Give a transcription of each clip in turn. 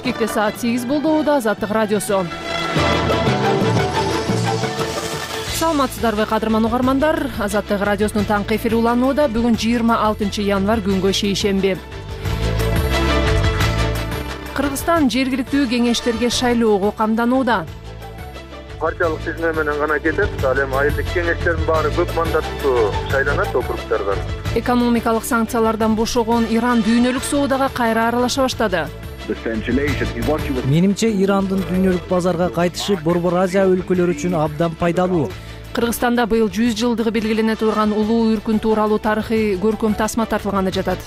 Бишкекте саат 8 болду. Азаттык радиосу. Саламатсыздарбы кадырман угармандар. Азаттык радиосунун таңкы эфири уланууда. Бүгүн 26 январь күнгө шейшемби. Кыргызстан жергиликтүү кеңештерге шайлоого камданууда. Партиялык тизме менен гана кетет. Ал эми айылдык кеңештердин баары көп мандаттуу шайланат округдардан. Экономикалык санкциялардан бошогон Иран дүйнөлүк соодага кайра аралаша баштады. Менимче Ирандын дүйнөлүк базарга кайтышы Борбор Азия өлкөлөрү үчүн абдан пайдалуу. Кыргызстанда быйыл 100 жылдыгы белгилене турган улуу үркүн тууралуу тарыхый көркөм тасма тартылганы жатат.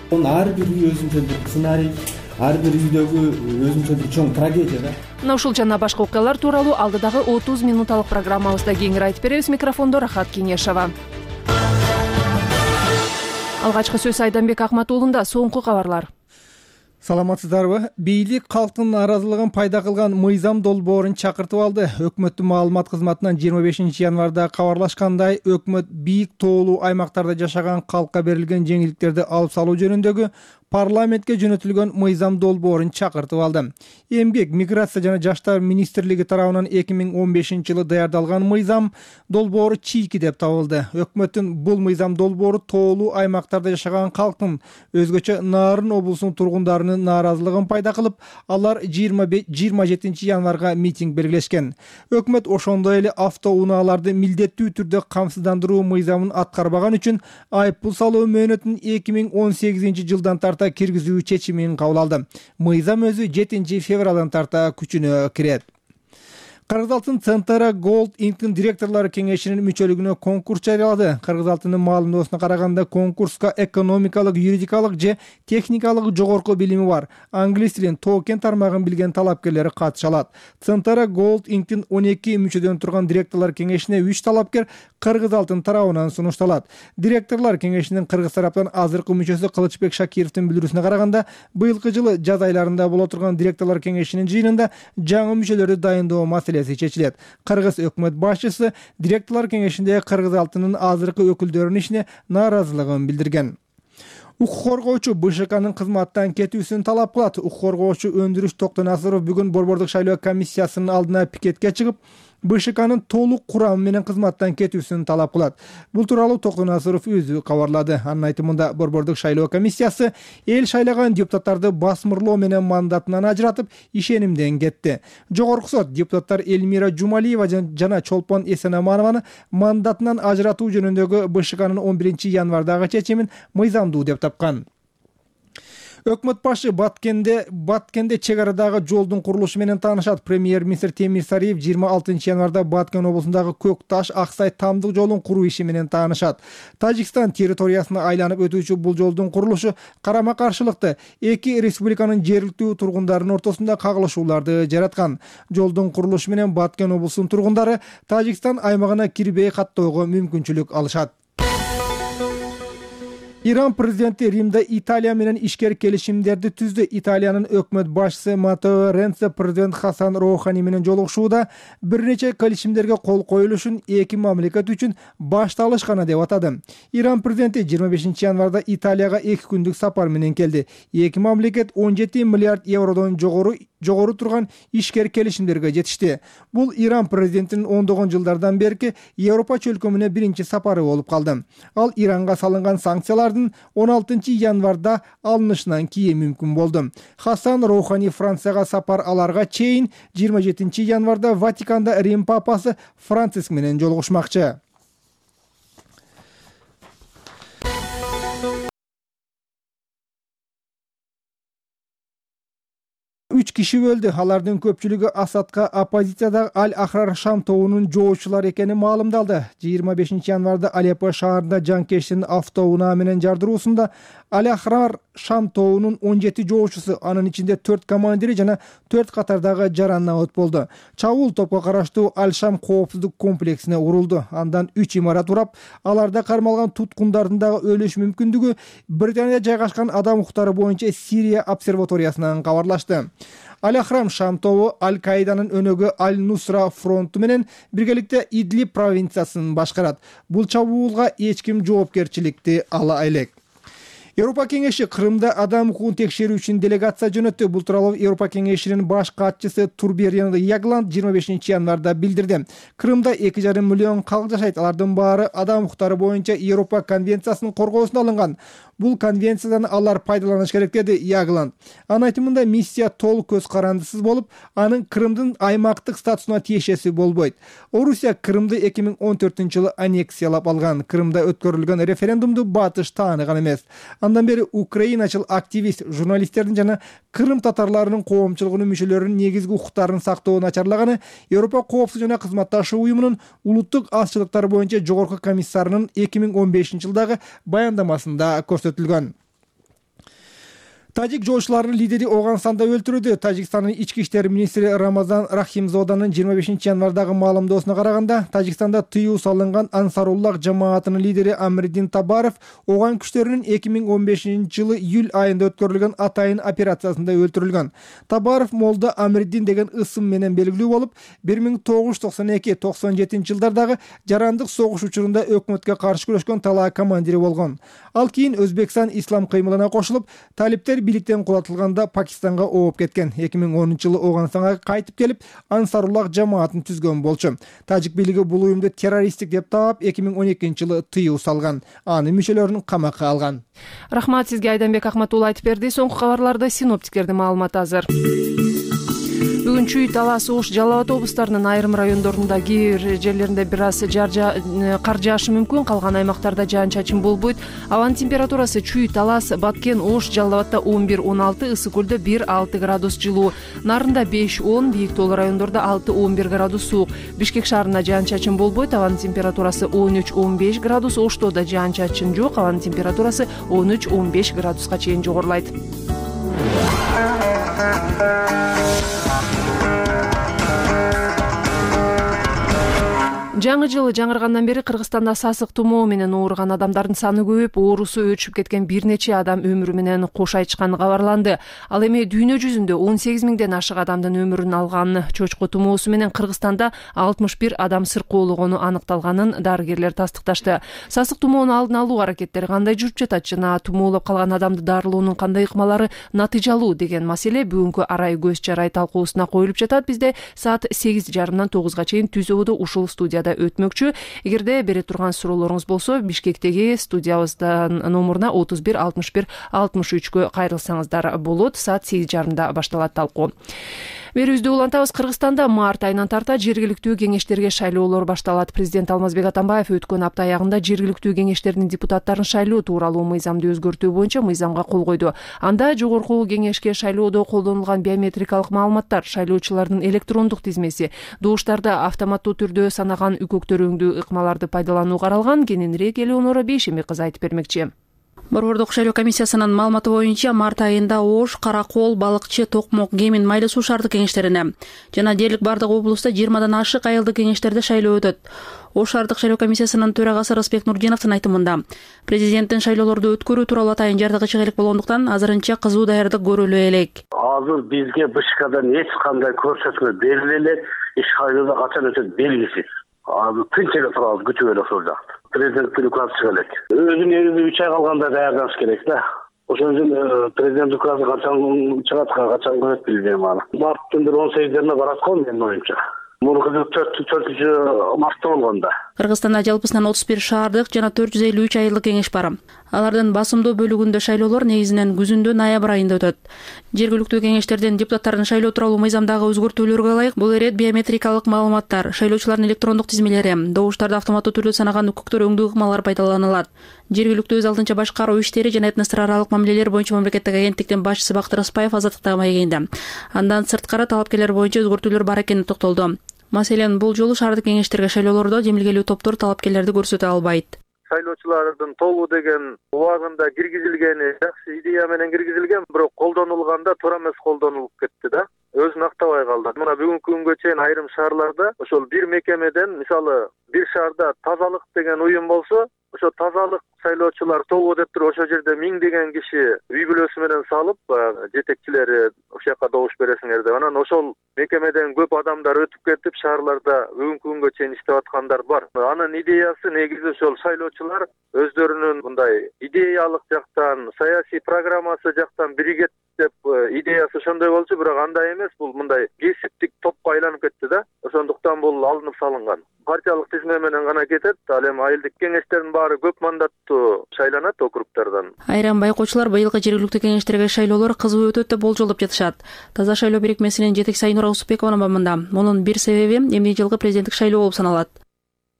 Ар бир үй өзүнчө бир сценарий, ар бир үйдөгү өзүнчө бир чоң трагедия да. Мына ушул жана башка окуялар тууралуу алдыдагы 30 минуталык программабызда кеңири айтып беребиз. Микрофондо Рахат Кеңешова. Алгачкы сөз Айданбек Акматуулунда. Соңку кабарлар. Саламатсыздарбы? Бийлик калктын нааразылыгын пайда кылган мыйзам долбоорун чакыртып алды. Өкмөттүн маалымат кызматынан 25 январда кабарлашкандай, өкмөт бийик тоолуу аймактарда жашаган калкка берилген жеңилдиктерди алып салуу жөнүндөгү парламентке жөнөтүлгөн мыйзам долбоорун чакыртып алды. Эмгек, миграция жана жаштар министрлиги тарабынан 2015-жылы даярдалган мыйзам долбоору чийки деп табылды. Өкмөттүн бул мыйзам долбоору тоолуу аймактарда жашаган калктын, өзгөчө Нарын облусунун тургундарынын нааразылыгын пайда кылып, алар 27 январга митинг белгилешкен. Өкмөт ошондой эле автоунааларды милдеттүү түрдө камсыздандыруу мыйзамын аткарбаган үчүн айыппул салуу мөөнөтүн 2018 жылдан тарта киргизүү чечимин кабыл алды. Мыйзам өзү 7 февралдан тарта күчүнө кирет. Кыргыз алтын Центара Gold Inc директорлор кеңешинин мүчөлүгүнө конкурс жарыялады. Кыргыз алтынын маалымдоосуна караганда, конкурска экономикалык, юридикалык же техникалык жогорку билими бар, англис тилин, токен тармагын билген талапкерлер катыша алат. Центара Gold Inc 12 мүчөдөн турган директорлор кеңешине 3 талапкер Кыргыз алтын тарабынан сунушталат. Директорлор кеңешинин Кыргыз тараптан азыркы мүчөсү Кылычбек Шакировдун билдирүүсүнө караганда, быйылкы жылы жаз айларында боло турган директорлор кеңешинин жыйынында жаңы мүчөлөрдү дайындоо маселеси чечилет. Кыргыз өкмөт башчысы директорлор кеңешинде Кыргыз алтынын азыркы өкүлдөрүнүн ишине нааразылыгын билдирген. Укук коргоочу БШКнын кызматтан кетүүсүн талап кылат. Укук коргоочу Өндүрүш Токтонасыров бүгүн Борбордук шайлоо комиссиясынын алдына пикетке чыгып, БШКнын толук курамы менен кызматтан кетүүсүн талап кылат. Бул тууралуу Токтонасыров өзү кабарлады. Анын айтымында, Борбордук шайлоо комиссиясы эл шайлаган депутаттарды басмырлоо менен мандатынан ажыратып, ишенимден кетти. Жогорку сот депутаттар Элмира Жумалиева жана Чолпон Эсенаманованы мандатынан ажыратуу жөнүндөгү БШКнын 11 январдагы чечимин мыйзамдуу деп тапкан. Өкмөт башы Баткенде чек арадагы жолдун курулушу менен таанышат. Премьер-министр Темир Сариев 26 январда Баткен облусундагы Көк Таш Аксай тамдык жолун куруу иши менен таанышат. Тажикстан территориясына айланып өтүүчү бул жолдун курулушу карама-каршылыкты эки республиканын жергиликтүү тургундарынын ортосунда кагылышууларды жараткан. Жолдун курулушу менен Баткен облусунун тургундары Тажикстан аймагына кирбей каттоого мүмкүнчүлүк алышат. Иран президенти Римде Италия менен ишкер келишимдерди түздү. Италиянын өкмөт башчысы Маттео Ренци президент Хасан Роухани менен жолугушууда бир нече келишимдерге кол коюлушун эки мамлекет үчүн башталышканы деп атады. Иран президенти 25 январда Италияга 2 күндүк сапар менен келди. Эки мамлекет 17 миллиард евродон жогору турган ишкер келишимдерге жетишти. Бул Иран президентинин ондогон жылдардан берки Европа чөлкөмүнө биринчи сапары болуп калды. Ал Иранга салынган санкциялардын 16 январда алынышынан кийин мүмкүн болду. Хасан Роухани Францияга сапар аларга чейин 27 январда Ватиканда Рим папасы Франциск менен жолугушмакчы. 3 киши өлдү. Алардын көпчүлүгү Асадка оппозициядагы Аль-Ахрар Шам тобунун жоочулары экени маалымдалды. 25 январда Алеппо шаарында жанкештин автоунаа менен жардыруусунда Аль-Ахрар Шам тобунун 17 жоочусу, анын ичинде 4 командири жана 4 катардагы жаранабат болду. Чабуул топко караштуу Аль-Шам коопсуздук комплексине урулду. Андан 3 имарат урап, аларда кармалган туткундардын дагы өлүш мүмкүндүгү Британияда жайгашкан адам укуктары боюнча Сирия обсерваториясынан кабарлашты. Аль-Ахрам Шам тобу Аль-Каиданын өнөгү Аль-Нусра фронту менен биргеликте Идлиб провинциясын башкарат. Бул чабуулга эч ким жоопкерчиликти ала элек. Европа кеңеши Крымда адам укугун текшерүү үчүн делегация жөнөттү. Бул тууралуу Европа кеңешинин баш катчысы Турберен Ягланд 25 январда билдирди. Крымда 2,5 миллион калк жашайт. Алардын баары адам укуктары боюнча Европа конвенциясынын коргоосуна алынган. Бул конвенциядан алар пайдаланыш керек деди Ягланд. Анын айтымында миссия толук көз карандысыз болуп, анын Крымдын аймактык статусуна тиешеси болбойт. Орусия Крымды 2014-жылы аннексиялап алган. Крымда өткөрүлгөн референдумду батыш тааныган эмес. Андан бери украиначыл активист, журналисттердин жана Крым татарларынын коомчулугунун мүчөлөрүнүн негизги укуктарын сактоо начарлаганы Европа коопсуздук жана кызматташуу уюмунун улуттук азчылыктар боюнча жогорку комиссарынын 2015-жылдагы баяндамасында көрсөтүлгөн. Тажик жоочуларынын лидери Оганстанда өлтүрүлдү. Тажикстандын ички иштер министри Рамазан Рахимзоданын 25 январдагы маалымдоосуна караганда, Тажикстанда тыюу салынган Ансаруллах жамаатынын лидери Амридин Табаров Оган күчтөрүнүн 2015-жылы июль айында өткөрүлгөн атайын операциясында өлтүрүлгөн. Табаров Молда Амридин деген ысым менен белгилүү болуп, 1992-97 жылдардагы жарандык согуш учурунда өкмөткө каршы күрөшкөн талаа командири болгон. Ал кийин Өзбекстан ислам кыймылына кошулуп, талиптер бийликтен кулатылганда Пакистанга ооп кеткен. 2010-жылы Оганстанга кайтып келип, Ансаруллах жамаатын түзгөн болчу. Тажик бийлиги бул уюмду террористтик деп таап, 2012-жылы тыюу салган. Анын мүчөлөрүн камакка алган. Рахмат сизге, Айданбек Акматулла айтып берди. Соңку кабарларда синоптиктердин маалыматы азыр. Бүгүн Чүй, Талас, Ош, Жалал Абад облустарынын айрым райондорунда кээ бир жерлеринде бир аз кар жаашы мүмкүн, калган аймактарда жаан-чачын болбойт. Абанын температурасы Чүй, Талас, Баткен, Ош, Жалал Абадта 11-16, Ысык Көлдө 1-6 градус жылуу, Нарында 5-10, Бийик Тоолуу райондордо 6-11 градус суук. Бишкек шаарында жаан-чачын болбойт, абанын температурасы 13-15 градус, Оштодо жаан-чачын жок, абанын температурасы 13-15 градуска чейин жогорулайт. Жаңы жыл жаңыргандан бери Кыргызстанда сасык тумоо менен ооруган адамдардын саны көбөйүп, оорусу өчүп кеткен бир нече адам өмүрү менен кош айтышканы кабарланды. Ал эми дүйнө жүзүндө 18 миңден ашык адамдын өмүрүн алган чочко тумоосу менен Кыргызстанда 61 адам сыркоологону аныкталганын дарыгерлер тастыкташты. Сасык тумоону алдын алуу аракеттери кандай жүрүп жатат жана тумоолоп калган адамды дарылоонун кандай ыкмалары натыйжалуу деген маселе бүгүнкү арай көз жарай талкуусуна коюлуп жатат. Бизде саат 8:30-дан 9-га чейин түз ободо ушул студияда өтмөкчү. Эгерде бере турган суроолоруңуз болсо, Бишкектеги студиябыздын номуруна 31 61 63кө кайрылсаңыздар болот. Саат 8:30-да башталат талкуу. Берүүбүздү улантабыз. Кыргызстанда март айынан тарта жергиликтүү кеңештерге шайлоолор башталат. Президент Алмазбек Атамбаев өткөн апта аягында жергиликтүү кеңештердин депутаттарын шайлоо тууралуу мыйзамды өзгөртүү боюнча мыйзамга кол койду. Анда жогорку кеңешке шайлоодо колдонулган биометрикалык маалыматтар, шайлоочулардын электрондук тизмеси, добуштарды автоматтуу түрдө санаган үкөктөрүңдүү ыкмаларды пайдалануу каралган. Кененирээк Элеонора Бейшембек кызы айтып бермекчи. Борбордук шайлоо комиссиясынын маалыматы боюнча март айында Ош, Каракол, Балыкчы, Токмок, Кемин, Майлы суу шаардык кеңештерине жана дээрлик бардык облустта 20дан ашык айылдык кеңештерде шайлоо өтөт. Ош шаардык шайлоо комиссиясынын төрагасы Рысбек Нурдиновдун айтымында, президенттин шайлоолорду өткөрүү тууралуу атайын жардыгы чыгылык болгондуктан азырынча кызуу даярдык көрүлө элек. Азыр бизге БШКдан эч кандай көрсөтмө бериле элек, шайлоодо качан өтөт белгисиз. Азыр тынчыгы турабыз, күтүп элек ошол жакты. Президенттин указы чыга элек. Өзүнүн негизи 3 ай калганда даярданыш керек да. Ошон үчүн президент указы качан чыгат, качан көрөт билбейм аны. Марттын 18-ине барат го менин оюмча. Мурунку 4-мартта болгондо. Кыргызстанда жалпысынан 31 шаардык жана 453 айылдык кеңеш бар. Алардын басымдуу бөлүгүндө шайлоолор негизинен күзүндө ноябрь айында өтөт. Жергиликтүү кеңештердин депутаттарын шайлоо тууралуу мыйзамдагы өзгөртүүлөргө ылайык бул ирет биометрикалык маалыматтар, шайлоочулардын электрондук тизмелери, добуштарды автоматтуу түрдө санаган үкөктөр өңдүү ыкмалар пайдаланылат. Жергиликтүү өз алдынча башкаруу иштери жана этностор аралык мамилелер боюнча мамлекеттик агенттиктин башчысы Бактыр Ыспаев азаттыкта маегинде. Андан сырткары талапкерлер боюнча өзгөртүүлөр бар экенине токтолду. Маселен, бул жолу шаардык кеңештерге шайлоолордо жемилгелүү топтор талапкерлерди көрсөтө албайт. Шайлоочулардын тобу деген убагында киргизилгени жакшы идея менен киргизилген, бирок колдонулганда туура эмес колдонулуп кетти да. Өзүн актабай калды. Мына бүгүнкү күнгө чейин айрым шаарларда ошол бир мекемеден, мисалы, бир шаарда тазалык деген уюм болсо, ошо тазалык шайлоочулар тобу деп туруп ошол жерде 1000 деген киши үй бүлөсү менен салып, жетекчилери ошол жака добуш бересиңер деп, анан ошол мекемеден көп адамдар өтүп кетип шаарларда бүгүнкү күнгө чейин иштеп аткандар бар. Анын идеясы негизи ошол шайлоочулар өздөрүнүн мындай идеялык жактан, саясий программасы жактан биригет деп идеясы ошондой болчу, бирок андай эмес, бул мындай кесиптик топко айланып кетти да. Ошондуктан бул алынып салынган. Партиялык тизме менен гана кетет. Ал эми айылдык кеңештердин баары көп мандаттуу шайланат округдардан. Айрым байкоочулар быйылкы жергиликтүү кеңештерге шайлоолор кызуу өтөт деп болжолдоп жатышат. Таза шайлоо бирикмесинин жетекчиси Айнура Усупбекованын мында мунун бир себеби эмне жылкы президенттик шайлоо болуп саналат.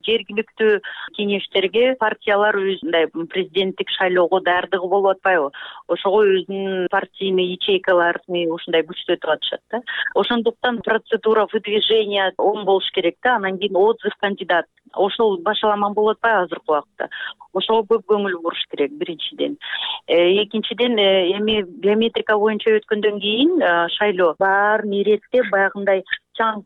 Жергиликтүү кеңештерге партиялар мындай президенттик шайлоого даярдыгы болуп атпайбы? Ошого өзүнүн партийный ячейкаларын ушундай күчтөтүп атышат да. Ошондуктан процедура выдвижения оң болуш керек да, анан кийин отзыв кандидат. Ошол башаламан болуп атпайбы азыркы убакта? Ошого көп көңүл буруш керек биринчиден. Экинчиден эми биометрика боюнча өткөндөн кийин шайлоо баарын иреттеп баягындай чаң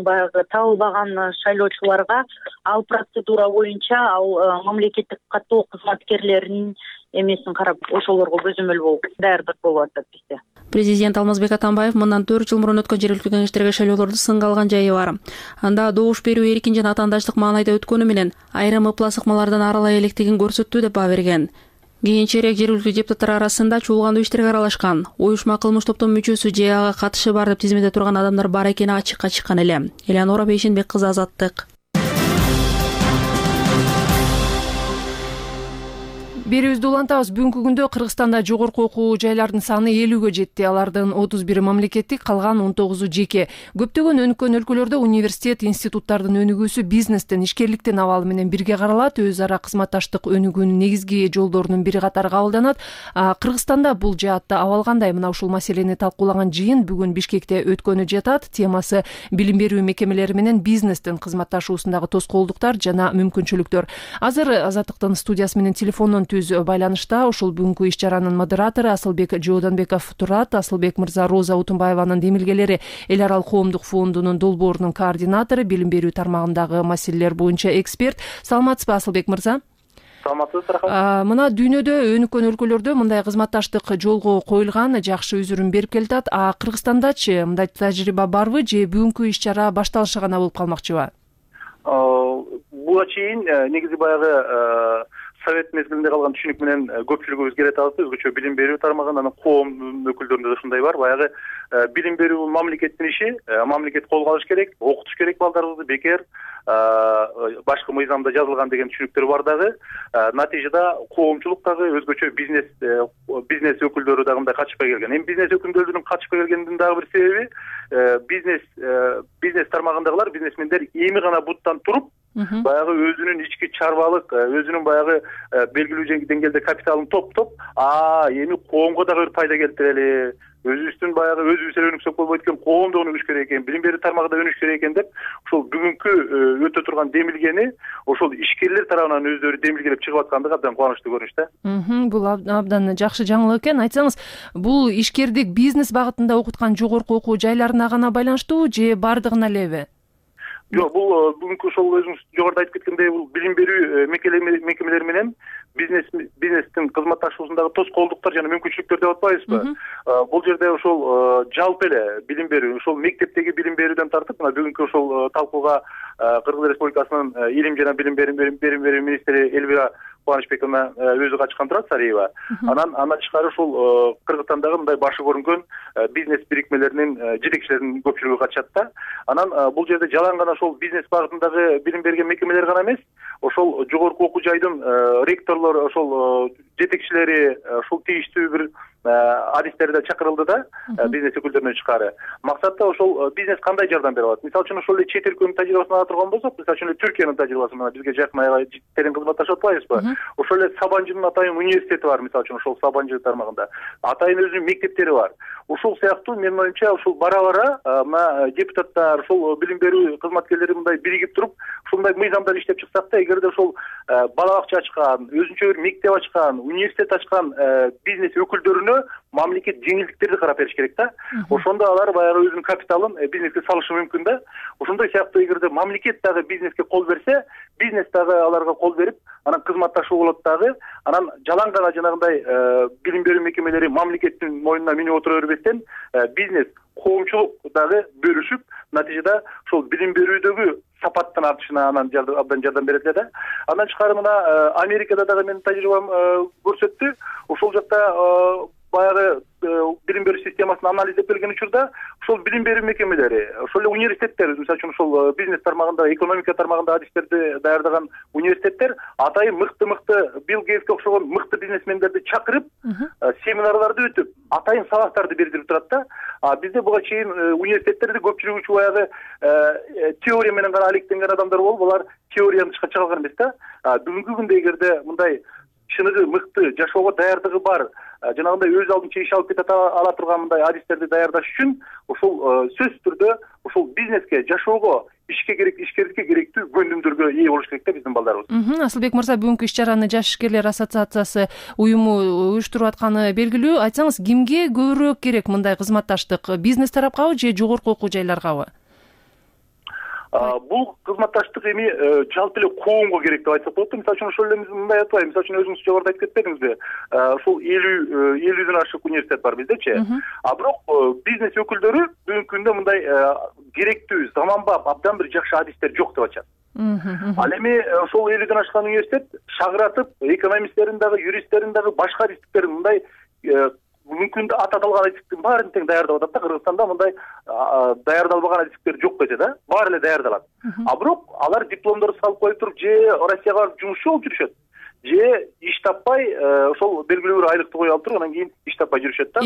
баягы табылбаган шайлоочуларга ал процедура боюнча ал мамлекеттик каттоо кызматкерлеринин эмесин карап ошолорго көзөмөл болуп даярдык болуп атат бизде. Президент Алмазбек Атамбаев мындан 4 жыл мурун өткөн жергиликтүү кеңештерге шайлоолорду сынга алган жайы бар. Анда добуш берүү эркин жана атаандаштык маанайда өткөнү менен айрым ыплас ыкмалардан арылай электигин көрсөттү деп баа берген. Кийинчерээк жергиликтүү депутаттар арасында чуулгандуу иштерге аралашкан, уюшма кылмыш топтун мүчөсү же ага катышы бар деп тизмеде турган адамдар бар экени ачыкка чыккан эле. Элеонора Бейшенбек кызы, Азаттык. Берүүбүздү улантабыз. Бүгүнкү күндө Кыргызстанда жогорку окуу жайлардын саны 50ге жетти. Алардын 31 мамлекеттик, калган 19 жеке. Көптөгөн өнүккөн өлкөлөрдө университет, институттардын өнүгүүсү бизнестен, ишкерликтин абалы менен бирге каралат. Өз ара кызматташтык өнүгүүнүн негизги жолдорунун бири катары кабылданат. Кыргызстанда бул жаатта абал кандай? Мына ушул маселени талкуулаган жыйын бүгүн Бишкекте өткөнү жатат. Темасы билим берүү мекемелери менен бизнестин кызматташуусундагы тоскоолдуктар жана мүмкүнчүлүктөр. Азыр Азаттыктын студиясы менен телефондон байланышта ушул бүгүнкү иш чаранын модератору Асылбек Жоодонбеков турат. Асылбек мырза Роза Утунбаеванын демилгелери эл аралык коомдук фондунун долбоорунун координатору, билим берүү тармагындагы маселелер боюнча эксперт. Саламатсызбы, Асылбек мырза? Саламатсыз, рахмат. Мына дүйнөдө өнүккөн өлкөлөрдө мындай кызматташтык жолго коюлган, жакшы үзүрүн берип келатат. Кыргызстандачы мындай тажрыйба барбы же бүгүнкү иш чара башталышы гана болуп калмакчыбы? Буга чейин негизи баягы совет мезгилинде калган түшүнүк менен көпчүлүгүбүз келет алат. Өзгөчө билим берүү тармагында, анан коом өкүлдөрүндө да ушундай бар. Баягы билим берүү бул мамлекеттин иши, мамлекет колго алыш керек, окутуш керек балдарыбызды, бекер башкы мыйзамда жазылган деген түшүнүктөр бар дагы. Натыйжада коомчулук дагы өзгөчө бизнес өкүлдөрү дагы мындай качпай келген. Эми бизнес өкүлдөрүнүн качпай келгенинин дагы бир себеби бизнес тармагындагылар, бизнесмендер эми гана буттан туруп баягы өзүнүн ички чарбалык, өзүнүн баягы белгилүү деңгээлде капиталын топтоп, эми коомго дагы бир пайда келтирели, өзүбүздүн баягы өзүбүз эле өнүксөк болбойт экен, коом да өнүгүш керек экен, билим берүү тармагында өнүгүш керек экен деп, ушул бүгүнкү өтө турган демилгени ошол ишкерлер тарабынан өздөрү демилгелеп чыгып аткандыгы абдан кубанычтуу көрүнүш да. Бул абдан жакшы жаңылык экен. Айтсаңыз, бул ишкердик бизнес багытында окуткан жогорку окуу жайларына гана байланыштуубу же бардыгына элеби? Жок, бул бүгүнкү ошол өзүңүз жогоруда айтып кеткендей, бул билим берүү мекемелери менен бизнестин кызматташуусундагы тоскоолдуктар жана мүмкүнчүлүктөр деп атпайбызбы? Бул жерде ошол жалпы эле билим берүү, ошол мектептеги билим берүүдөн тартып, мына бүгүнкү ошол талкууга Кыргыз Республикасынын илим жана билим берүү министри Элвира Кубанычбековна өзү качкан турат, Сариева. Андан тышкары ушул Кыргызстандагы мындай башы көрүнгөн бизнес бирикмелеринин жетекчилеринин көпчүлүгү катышат да. Анан бул жерде жалаң гана ошол бизнес багытындагы билим берген мекемелер гана эмес, ошол жогорку окуу жайдын ректорлору, ошол жетекчилери, ошол тийиштүү бир адистерде чакырылды да, бизнес өкүлдөрүнөн тышкары. Максатта ошол бизнес кандай жардам бере алат? Мисалы үчүн ошол эле чет өлкөнүн тажрыйбасын ала турган болсок, мисалы үчүн Түркиянын тажрыйбасы менен бизге жакын аябай терең кызматташып атпайбызбы? Ошол эле Сабанжынын атайын университети бар, мисалы үчүн ошол Сабанжы тармагында. Атайын өзүнүн мектептери бар. Ушул сыяктуу менин оюмча ушул бара-бара мына депутаттар, ушул билим берүү кызматкерлери мындай биригип туруп, ушундай мыйзамдар иштеп чыксак да, эгерде ошол бала бакча ачкан, өзүнчө бир мектеп ачкан, университет ачкан бизнес өкүлдөрүнө мамлекет жеңилдиктерди карап бериш керек да. Ошондо алар баягы өзүнүн капиталын бизнеске салышы мүмкүн да. Ошондой сыяктуу эгерде мамлекет дагы бизнеске кол берсе, бизнес дагы аларга кол берип, анан кызматташуу болот дагы. Анан жалаң гана жанагындай билим берүү мекемелери мамлекеттин мойнуна минип отура бербестен, бизнес коомчулук дагы бөлүшүп, натыйжада ошол билим берүүдөгү сапаттын артышына анан абдан жардам берет эле да. Андан тышкары мына Америкада дагы менин тажрыйбам көрсөттү. Ошол жакта баягы билим берүү системасын анализдеп келген учурда ошол билим берүү мекемелери, ошол эле университеттер, мисалы үчүн ошол бизнес тармагында, экономика тармагында адистерди даярдаган университеттер атайын мыкты Билл Гейтске окшогон мыкты бизнесмендерди чакырып, семинарларды өтүп, атайын сабактарды бердирип турат да. Бизде буга чейин университеттерде көпчүлүгү үчүн баягы теория менен гана алектенген адамдар болуп, алар теорияны тышка чыга алган эмес да. Бүгүнкү күндө эгерде мындай чыныгы мыкты жашоого даярдыгы бар, жанагындай өз алдынча иш алып кете ала турган мындай адистерди даярдаш үчүн ошол сөзсүз түрдө ошол бизнеске, жашоого, ишкерликке керектүү көндүмдөргө ээ болуш керек да биздин балдарыбыз. Асылбек мырза, бүгүнкү иш чараны Жаш ишкерлер ассоциациясы уюму уюштуруп атканы белгилүү. Айтсаңыз, кимге көбүрөөк керек мындай кызматташтык? Бизнес тарапкабы же жогорку окуу жайларгабы? Бул кызматташтык эми жалпы эле коомго керек деп айтсак болот. Мисалы үчүн ошол эле мындай атпайбы, мисалы үчүн өзүңүз жогоруда айтып кетпедиңизби? Ошол 50ден ашык университет бар биздечи. Бирок бизнес өкүлдөрү бүгүнкү күндө мындай керектүү, заманбап, абдан бир жакшы адистер жок деп атышат. Ал эми ошол 50ден ашкан университет шагыратып, экономисттерин дагы, юристтерин дагы, башка адистиктерин мындай бүгүнкү күндө аталган адистиктин баарын тең даярдап атат да. Кыргызстанда мындай даярдалбаган адистиктер жок десе да, баары эле даярдалат. Бирок алар дипломдорду салып коюп туруп, же Россияга барып жумушчу болуп жүрүшөт, же иш таппай, ошол белгилүү бир айлыкты коюп алып туруп, анан кийин иш таппай жүрүшөт да.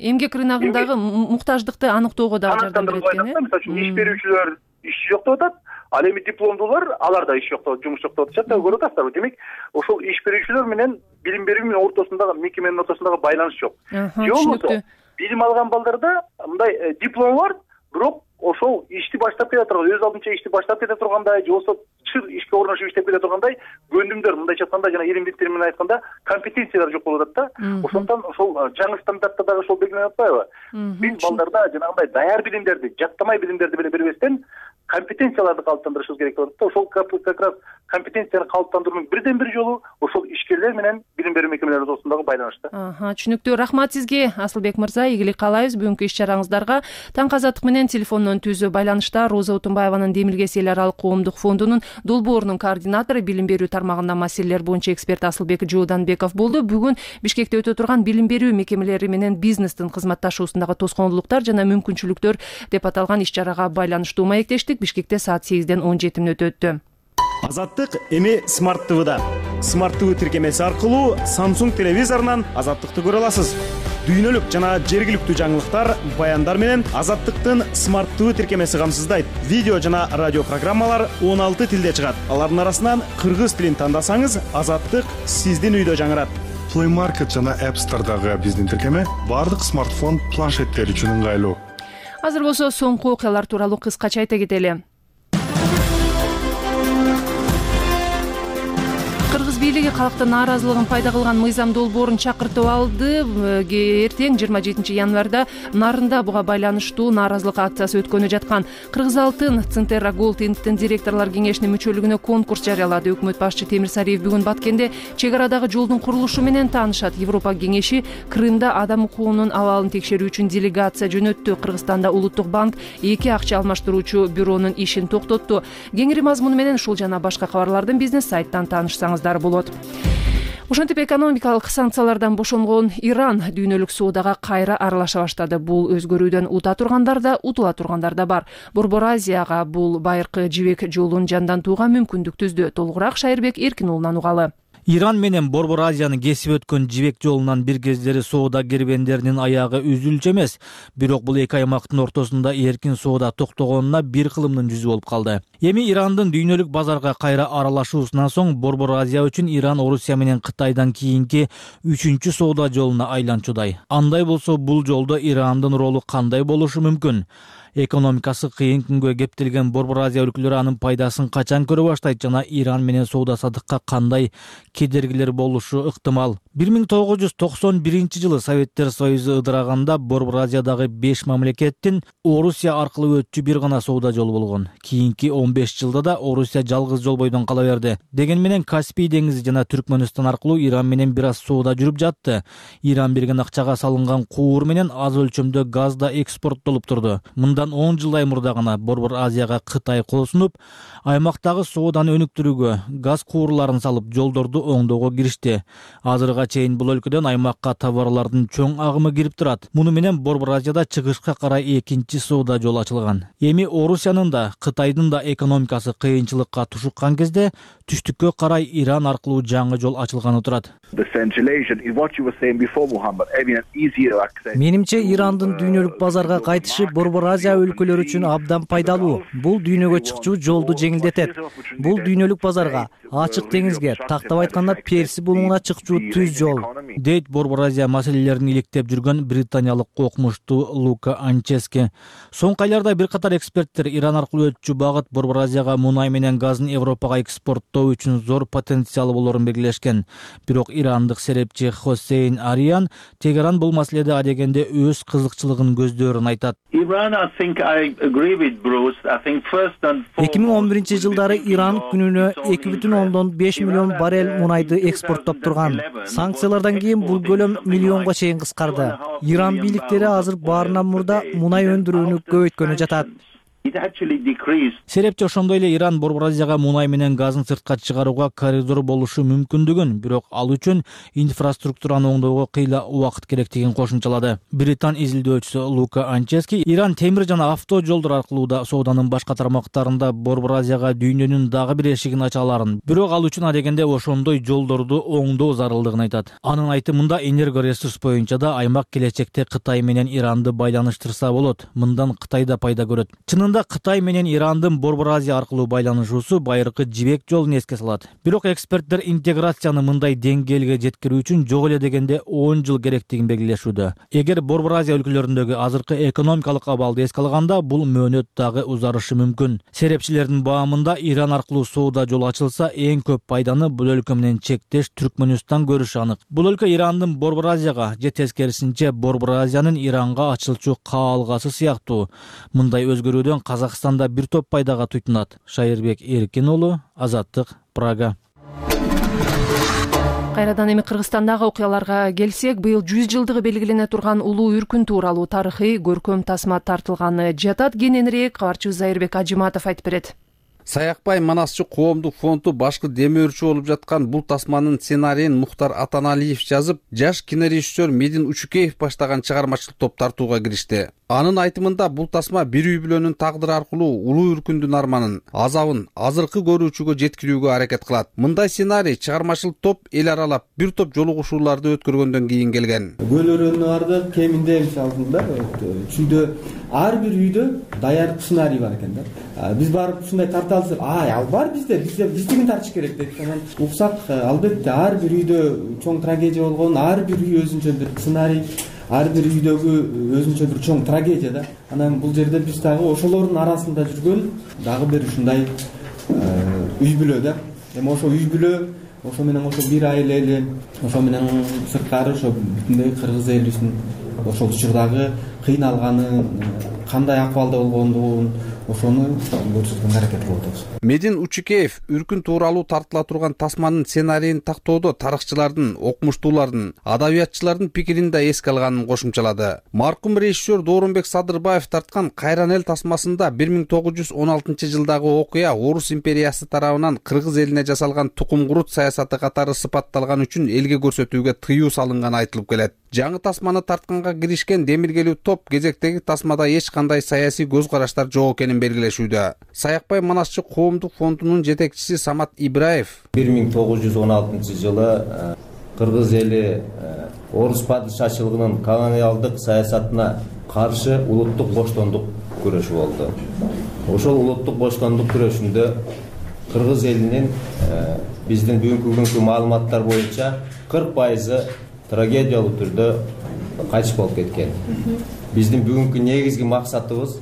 Эмгек рыногундагы муктаждыкты аныктоого дагы жардам берет экен. Мисалы үчүн иш берүүчүлөр иш жок деп атат. Ал эми дипломдуулар, алар да иш жок деп, жумуш жок деп атышат да. Көрүп атасыздарбы? Демек, ошол иш берүүчүлөр менен билим берүү менен ортосундагы мекеменин ортосундагы байланыш жок. Же болбосо билим алган балдарда мындай диплом бар, бирок ошол ишти баштап кете турган, өз алдынча ишти баштап кете тургандай, же болбосо чыр ишке орношуп иштеп кете тургандай көндүмдөр, мындайча айтканда, жана илимдик термин менен айтканда, компетенциялар жок болуп атат да. Ошондон ошол жаңы стандартта дагы ошол белгиленип атпайбы? Биз балдарда жанагындай даяр билимдерди, жаттамай билимдерди бербестен компетенцияларды калыптандырышыбыз керек болот да. Ошол как раз компетенцияны калыптандыруунун бирден бир жолу ошол ишкерлер менен билим берүү мекемелери ортосундагы байланыш да. Түшүнүктүү. Рахмат сизге, Асылбек мырза. Ийгилик каалайбыз бүгүнкү иш чараңыздарга. Таң азаттык менен телефондон түзүү байланышта Роза Утунбаеванын Демилгес эл аралык коомдук фондунун долбоорунун координатору, билим берүү тармагында маселелер боюнча эксперт Асылбек Жууданбеков болду. Бүгүн Бишкекте өтө турган билим берүү мекемелери менен бизнестин кызматташуусундагы тоскоолдуктар жана мүмкүнчүлүктөр деп аталган иш чарага байланыштуу маектештик. Бишкекте саат 8ден 17 мүнөт өттү. Азаттык эми Smart TV'да. Smart TV тиркемеси аркылуу Samsung телевизорунан Азаттыкты көрө аласыз. Дүйнөлүк жана жергиликтүү жаңылыктар, баяндар менен Азаттыктын Smart TV тиркемеси камсыздайт. Видео жана радио программалар 16 тилде чыгат. Алардын арасынан кыргыз тилин тандасаңыз, Азаттык сиздин үйдө жаңырат. Play Market жана App Store'дагы биздин тиркеме бардык смартфон, планшеттер үчүн ыңгайлуу. Азыр болсо соңку окуялар тууралуу кыскача айта кетели. Кыргыз бийлиги калктын нааразылыгын пайда кылган мыйзам долбоорун чакыртып алды. Эртең 27 январда Нарында буга байланыштуу нааразылык акциясы өткөнү жаткан. Кыргыз Алтын Центерра Голд Инттин директорлор кеңешинин мүчөлүгүнө конкурс жарыялады. Өкмөт башчы Темир Сариев бүгүн Баткенде чек арадагы жолдун курулушу менен таанышат. Европа кеңеши Крымда адам укугунун абалын текшерүү үчүн делегация жөнөттү. Кыргызстанда Улуттук банк 2 акча алмаштыруучу бюронун ишин токтотту. Кеңири мазмуну менен ушул жана башка кабарлардын бизнес сайттан таанышсаңыз болот. Ошентип экономикалык санкциялардан бошонгон Иран дүйнөлүк соодага кайра аралаша баштады. Бул өзгөрүүдөн ута тургандар да, утула тургандар да бар. Борбор Азияга бул байыркы жибек жолун жандантууга мүмкүндүк түздү. Толугураак Шайырбек Эркин уулунан угалы. Иран менен Борбор Азияны кесип өткөн жибек жолунан бир кездери соода кербендеринин аягы үзүлчү эмес. Бирок бул эки аймактын ортосунда эркин соода токтогонуна бир кылымдын жүзү болуп калды. Эми Ирандын дүйнөлүк базарга кайра аралашуусунан соң Борбор Азия үчүн Иран Орусия менен Кытайдан кийинки 3-чү соода жолуна айланчудай. Андай болсо бул жолдо Ирандын ролу кандай болушу мүмкүн? Экономикасы кыйын күнгө кептелген Борбор Азия өлкөлөрү анын пайдасын качан көрө баштайт жана Иран менен соода саттыкка кандай кедергилер болушу ыктымал? 1991-жылы Советтер Союзу ыдыраганда Борбор Азиядагы 5 мамлекеттин Орусия аркылуу өтчү бир гана соода жолу болгон. Кийинки 15 жылда да Орусия жалгыз жол бойдон кала берди. Деген менен Каспий деңизи жана Түркмөнстан аркылуу Иран менен бир аз соода жүрүп жатты. Иран берген акчага салынган куур менен аз өлчөмдө газ да экспорттолуп турду. Мындан 10 жылдай мурда гана Борбор Азияга Кытай кол сунуп, аймактагы сооданы өнүктүрүүгө, газ куурларын салып, жолдорду оңдоого киришти. Азырга чейин бул өлкөдөн аймакка товарлардын чоң агымы кирип турат. Муну менен Борбор Азияда чыгышка карай экинчи соода жол ачылган. Эми Орусиянын да, Кытайдын да экономикасы кыйынчылыкка тушуккан кезде түштүккө карай Иран аркылуу жаңы жол ачылганы турат. Менимче Ирандын дүйнөлүк базарга кайтышы Борбор Азия өлкөлөрү үчүн абдан пайдалуу. Бул дүйнөгө чыкчу жолду жеңилдетет. Бул дүйнөлүк базарга, ачык деңизге, тактап айтканда Перси булуңуна чыкчу түз жол. Дейт Борбор Азия маселелерин иликтеп жүргөн британиялык окумуштуу Лука Анчески. Соңку айларда бир катар эксперттер Иран аркылуу өтчү багыт Борбор Азияга мунай менен газын Европага экспорттоо үчүн зор потенциалы болорун белгилешкен. Бирок ирандык серепчи Хосейн Ариян Тегеран бул маселеде адегенде өз кызыкчылыгын көздөрүн айтат. 2011-жылдары Иран күнүнө 2,5 миллион баррель мунайды экспорттоп турган. Санкциялардан кийин бул көлөм миллионго чейин кыскарды. Иран бийликтери азыр баарынан мурда мунай өндүрүүнү көбөйткөнү жатат. Серепчи ошондой эле Иран Борбор Азияга мунай менен газын сыртка чыгарууга коридор болушу мүмкүндүгүн, бирок ал үчүн инфраструктураны оңдоого кыйла убакыт керектигин кошумчалады. Британ изилдөөчүсү Лука Анчески Иран темир жана авто жолдор аркылуу да сооданын башка тармактарында Борбор Азияга дүйнөнүн дагы бир эшигин ача аларын, бирок ал үчүн адегенде ошондой жолдорду оңдоо зарылдыгын айтат. Анын айтымында энерго ресурс боюнча да аймак келечекте Кытай менен Иранды байланыштырса болот. Мындан Кытай да пайда көрөт. Кытай менен Ирандын Борбор Азия аркылуу байланышуусу байыркы жибек жолун эске салат. Бирок эксперттер интеграцияны мындай деңгээлге жеткирүү үчүн жок эле дегенде 10 жыл керектигин белгилешүүдө. Эгер Борбор Азия өлкөлөрүндөгү азыркы экономикалык абалды эске алганда, бул мөөнөт дагы узарышы мүмкүн. Серепчилердин баамында Иран аркылуу соода жол ачылса, эң көп пайданы бул өлкө менен чектеш Түркмөнстан көрүшү анык. Бул өлкө Ирандын Борбор Азияга же тескерисинче Борбор Азиянын Иранга ачылчу каалгасы сыяктуу. Мындай өзгөрүүдөн Казакстанда бир топ пайдага туйтунат. Шайырбек Эркин уулу, Азаттык, Прага. Кайрадан эми Кыргызстандагы окуяларга келсек, быйыл 100 жылдыгы белгилене турган улуу үркүн тууралуу тарыхый көркөм тасма тартылганы жатат. Кененирээк кабарчыбыз Айырбек Ажиматов айтып берет. Саякбай Манасчы коомдук фонду башкы демөөрчү болуп жаткан бул тасманын сценарийин Мухтар Атаналиев жазып, жаш кинорежиссер Медин Учукеев баштаган чыгармачылык топ тартууга киришти. Анын айтымында бул тасма бир үй бүлөнүн тагдыры аркылуу улуу үркүндүн арманын, азабын азыркы көрүүчүгө жеткирүүгө аракет кылат. Мындай сценарий чыгармачылык топ эл аралап бир топ жолугушууларды өткөргөндөн кийин келген. Көлөрөнү бардык, кеминде мисалында чүйдө ар бир үйдө даяр сценарий бар экен да. Биз барып ушундай тарта алсак, ал бар бизде биздигин тартыш керек деп анан уксак, албетте ар бир үйдө чоң трагедия болгон, ар бир үй өзүнчө бир сценарий, ар бир үйдөгү өзүнчө бир чоң трагедия да. Анан бул жерде биз дагы ошолордун арасында жүргөн дагы бир ушундай үй бүлө да. Эми ошо үй бүлө, ошо менен ошо бир айыл эли, ошо менен сырткары ошо бүтүндөй кыргыз элибиздин ошол учурдагы кыйналганын, кандай акыбалда болгондугун ошону көрсөткөнгө аракет кылып атабыз. Медин Учукеев үркүн тууралуу тартыла турган тасманын сценарийин тактоодо тарыхчылардын, окумуштуулардын, адабиятчылардын пикирин да эске алганын кошумчалады. Маркум режиссер Доорунбек Садырбаев тарткан Кайран эл тасмасында 1916-жылдагы окуя Орус империясы тарабынан кыргыз элине жасалган тукум курут саясаты катары сыпатталган үчүн элге көрсөтүүгө тыюу салынганы айтылып келет. Жаңы тасманы тартканга киришкен демиргелүү топ кезектеги тасмада эч кандай саясий көз караштар жок экенин белгилешүүдө. Саякбай Манасчы коомдук фондунун жетекчиси Самат Ибраев 1916-жылы кыргыз эли орус падышачылыгынын колониалдык саясатына каршы улуттук боштондук күрөшү болду. Ошол улуттук боштондук күрөшүндө кыргыз элинин биздин бүгүнкү маалыматтар боюнча 40% трагедиялуу түрдө кайтыш болуп кеткен. Биздин бүгүнкү негизги максатыбыз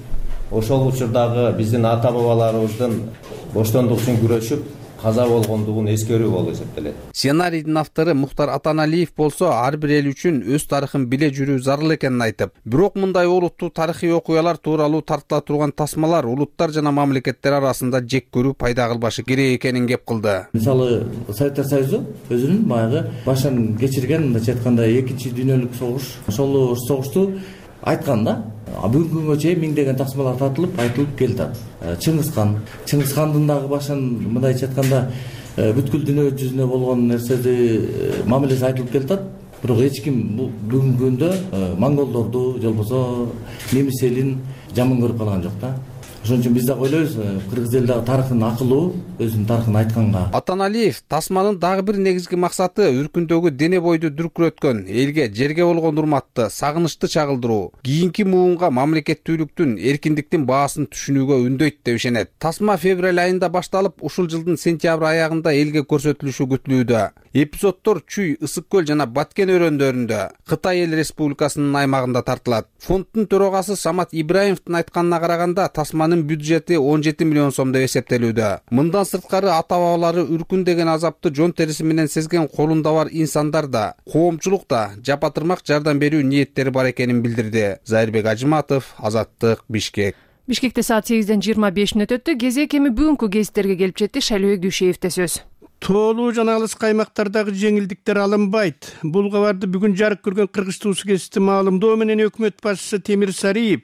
ошол учурдагы биздин ата бабаларыбыздын боштондук үчүн күрөшүп каза болгондугун эскерүү болуп эсептелет. Сценарийдин автору Мухтар Атаналиев болсо ар бир эл үчүн өз тарыхын биле жүрүү зарыл экенин айтып, бирок мындай олуттуу тарыхый окуялар тууралуу тартыла турган тасмалар улуттар жана мамлекеттер арасында жек көрүү пайда кылбашы керек экенин кеп кылды. Мисалы, Советтер Союзу өзүнүн баягы башын кечирген, мындайча айтканда, экинчи дүйнөлүк согуш, ошол согушту айткан да. Бүгүнкү күнгө чейин миңдеген тасмалар тартылып, айтылып келатат. Чыңгызхандын дагы башын мындайча айтканда бүткүл дүйнө жүзүнө болгон нерседи мамилеси айтылып келатат. Бирок эч ким бүгүнкү күндө монголдорду же болбосо немис элин жаман көрүп калган жок да. Ошон үчүн биз дагы ойлойбуз, кыргыз эл дагы тарыхын акылуу, өзүнүн тарыхын айтканга. Атаналиев тасманын дагы бир негизги максаты үркүндөгү дене бойду дүркүрөткөн, элге, жерге болгон урматты, сагынычты чагылдыруу, кийинки муунга мамлекеттүүлүктүн, эркиндиктин баасын түшүнүүгө үндөйт деп ишенет. Тасма февраль айында башталып, ушул жылдын сентябрь аягында элге көрсөтүлүшү күтүлүүдө. Эпизоддор Чүй, Ысык көл жана Баткен өрөөндөрүндө, Кытай эл республикасынын аймагында тартылат. Фонддун төрагасы Самат Ибраимовдун айтканына караганда, тасманын бюджети 17 миллион сом деп эсептелүүдө. Мындан сырткары ата бабалары үркүн деген азапты жон териси менен сезген колунда бар инсандар да, коомчулук да жапатырмак жардам берүү ниеттери бар экенин билдирди. Зайырбек Ажыматов, Азаттык, Бишкек. Бишкекте саат 8:25 өттү. Кезек эми бүгүнкү гезиттерге келип жетти. Шайлообек Дүйшеевде сөз. Тоолуу жана алыс каймактардагы жеңилдиктер алынбайт. Бул кабарды бүгүн жарык көргөн Кыргыз Туусу гезити маалымдоо менен өкмөт башчысы Темир Сариев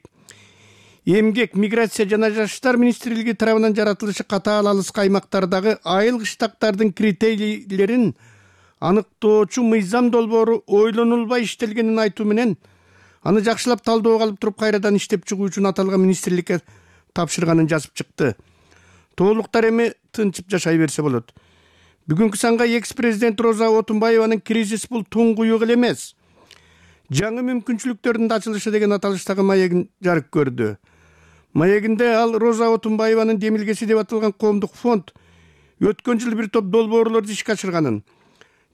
Эмгек, миграция жана жаштар министрлиги тарабынан жаратылышы катаал алыс каймактардагы айыл кыштактардын критерийлерин аныктоочу мыйзам долбоору ойлонулбай иштелгенин айтуу менен аны жакшылап талдоого алып туруп кайрадан иштеп чыгуу үчүн аталган министрликке тапшырганын жазып чыкты. Тоолуктар эми тынчып жашай берсе болот. Бүгүнкү санга экс-президент Роза Отунбаеванын кризис бул туңгуюк эле эмес, жаңы мүмкүнчүлүктөрдүн ачылышы деген аталыштагы маегин жарык көрдү. Маегинде ал Роза Отунбаеванын демилгеси деп аталган коомдук фонд өткөн жылы бир топ долбоорлорду ишке ашырганын,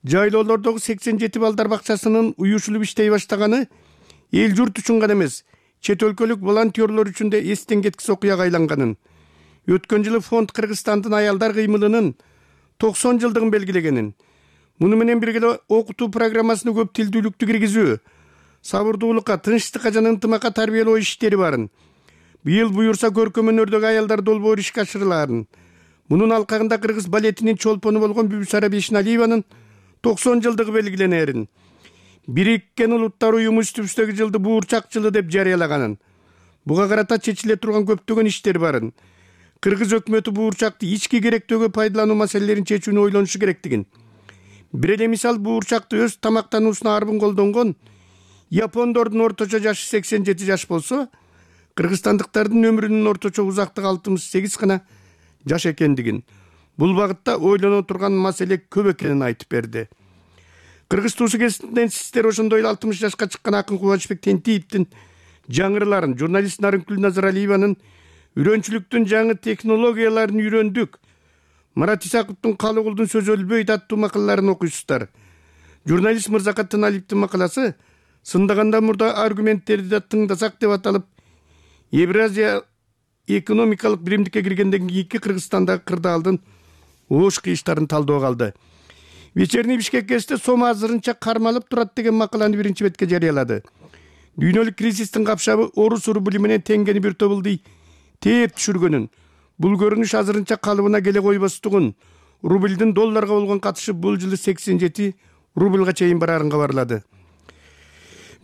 жайлоолордогу 87 балдар бакчасынын уюшулуп иштей баштаганы эл журт үчүн гана эмес, чет өлкөлүк волонтерлор үчүн да эстен кеткис окуяга айланганын, өткөн жылы фонд Кыргызстандын аялдар кыймылынын 90 жылдыгын белгилегенин, муну менен бирге окутуу программасына көп тилдүүлүктү киргизүү, сабырдуулукка, тынчтыкка жана ынтымакка тарбиялоо иштери барын, быйыл буюрса көркөм өнөрдөгү аялдар долбоору ишке ашырылаарын, мунун алкагында кыргыз балетинин чолпону болгон Бүбүсара Бешналиеванын 90 жылдыгы белгиленерин, Бириккен Улуттар Уюму үстүбүздөгү жылды буурчак жылы деп жарыялаганын, буга карата чечиле турган көптөгөн иштер барын, кыргыз өкмөтү буурчакты ички керектөөгө пайдалануу маселелерин чечүүнү ойлонушу керектигин, бир эле мисал буурчакты өз тамактануусуна арбын колдонгон япондордун орточо жашы 87 жаш болсо, кыргызстандыктардын өмүрүнүн орточо узактыгы 68 гана жаш экендигин, бул багытта ойлоно турган маселе көп экенин айтып берди. Кыргыз Туусу гезитинен сиздер ошондой эле 60 жашка чыккан акын Кубанычбек Тентиевдин жаңырыларын, журналист Нарынкүл Назаралиеванын үйрөнчүлүктүн жаңы технологияларын үйрөндүк, Марат Исаковдун Калыгулдун сөзү өлбөйт аттуу макалаларын окуйсуздар. Журналист Мырзакат Тыналиевдин макаласы сындаганда мурда аргументтерди да тыңдасак деп аталып, Евразия экономикалык биримдикке киргенден кийинки Кыргызстандагы кырдаалдын оош кыйыштарын талдоого алды. Вечерний Бишкек гезити сом азырынча кармалып турат деген макаланы биринчи бетке жарыялады. Дүйнөлүк кризистин капшабы орус рубли менен теңгени бир тобулдуй тээп түшүргөнүн, бул көрүнүш азырынча калыбына келе койбостугун, рублдин долларга болгон катышы бул жылы 87 рублга чейин барарын кабарлады.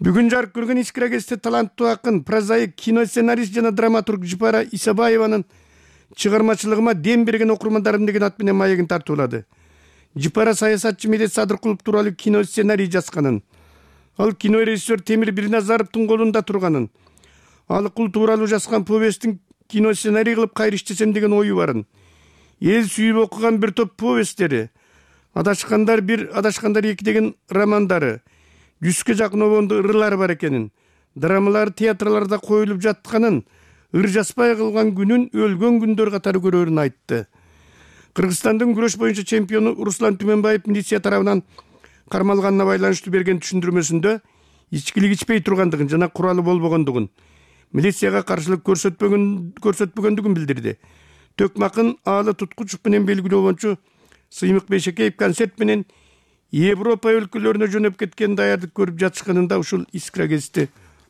Бүгүн жарык көргөн Искра гезити таланттуу акын, прозаик, киносценарист жана драматург Жыпара Исабаеванын чыгармачылыгыма дем берген окурмандарым деген ат менен маегин тартуулады. Жыпара саясатчы Медет Садыркулов тууралуу кино сценарий жазганын, ал кино режиссер Темир Бирназаровдун колунда турганын, ал кул тууралуу жазган повесттин кино сценарий кылып кайра иштесем деген ою барын, эл сүйүп окуган бир топ повесттери, Адашкандар 1, Адашкандар 2 деген романдары, 100ге жакын обондо ырлары бар экенин, драмалар театрларда коюлуп жатканын, ыр жазбай калган күнүн өлгөн күндөр катары көрөрүн айтты. Кыргызстандын күрөш боюнча чемпиону Руслан Түмөнбаев милиция тарабынан кармалганына байланыштуу берген түшүндүрмөсүндө ичкилик ичпей тургандыгын жана куралы болбогондугун, милицияга каршылык көрсөтпөгөндүгүн билдирди. Төкмакын Аалы Туткучев менен белгилөө боюнча Сыймык Бейшекеев концерт менен Европа өлкөлөрүнө жөнөп кеткен даярдык көрүп жатышканын да ушул Искра гезити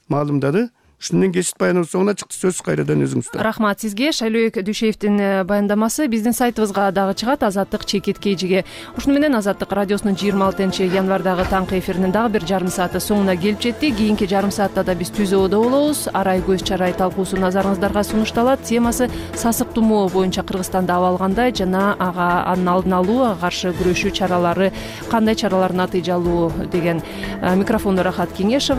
маалымдады. Ушундан кесип баяныбыз соңуна чыкты. Сөз кайрадан өзүңүздө. Рахмат сизге. Шайлообек Дүйшеевдин баяндамасы биздин сайтыбызга дагы чыгат, Азаттык чекит KG'ге. Ушуну менен Азаттык радиосунун 26-январдагы таңкы эфиринин дагы бир жарым сааты соңуна келип жетти. Кийинки жарым саатта да биз түз абада болобуз. Арай көз чарай талкуусу назарыңыздарга сунушталат. Темасы сасык тумоо боюнча Кыргызстанда абал кандай жана анын алдын алуу, каршы күрөшүү чаралары кандай чаралар натыйжалуу деген. Микрофондо Рахат Кеңешова.